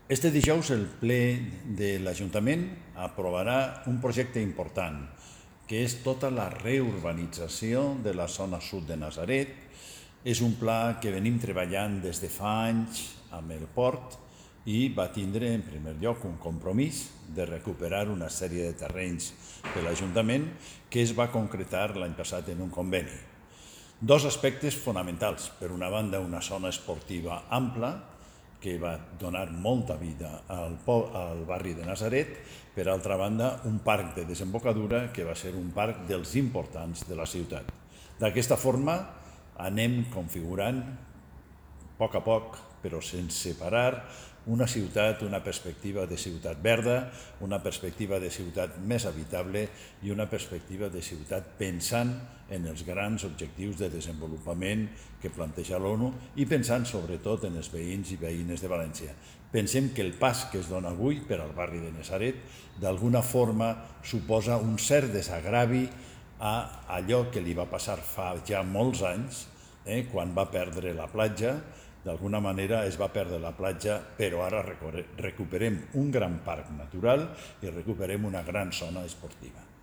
Este dijous el ple de l'Ajuntament aprovarà un projecte important, que és tota la reurbanització de la zona sud de Natzaret. És un pla que venim treballant des de fa anys amb el port i va tindre en primer lloc un compromís de recuperar una sèrie de terrenys de l'Ajuntament que es va concretar l'any passat en un conveni. Dos aspectes fonamentals. Per una banda, una zona esportiva ampla, que va donar molta vida al barri de Natzaret. Per altra banda, un parc de desembocadura que va ser un parc dels importants de la ciutat. D'aquesta forma anem configurant a poc, però sense parar, una ciutat, una perspectiva de ciutat verda, una perspectiva de ciutat més habitable i una perspectiva de ciutat pensant en els grans objectius de desenvolupament que planteja l'ONU i pensant sobretot en els veïns i veïnes de València. Pensem que el pas que es dona avui per al barri de Natzaret d'alguna forma suposa un cert desagravi a allò que li va passar fa ja molts anys, quan va perdre la platja. D'alguna manera es va perdre la platja, però ara recuperem un gran parc natural i recuperem una gran zona esportiva.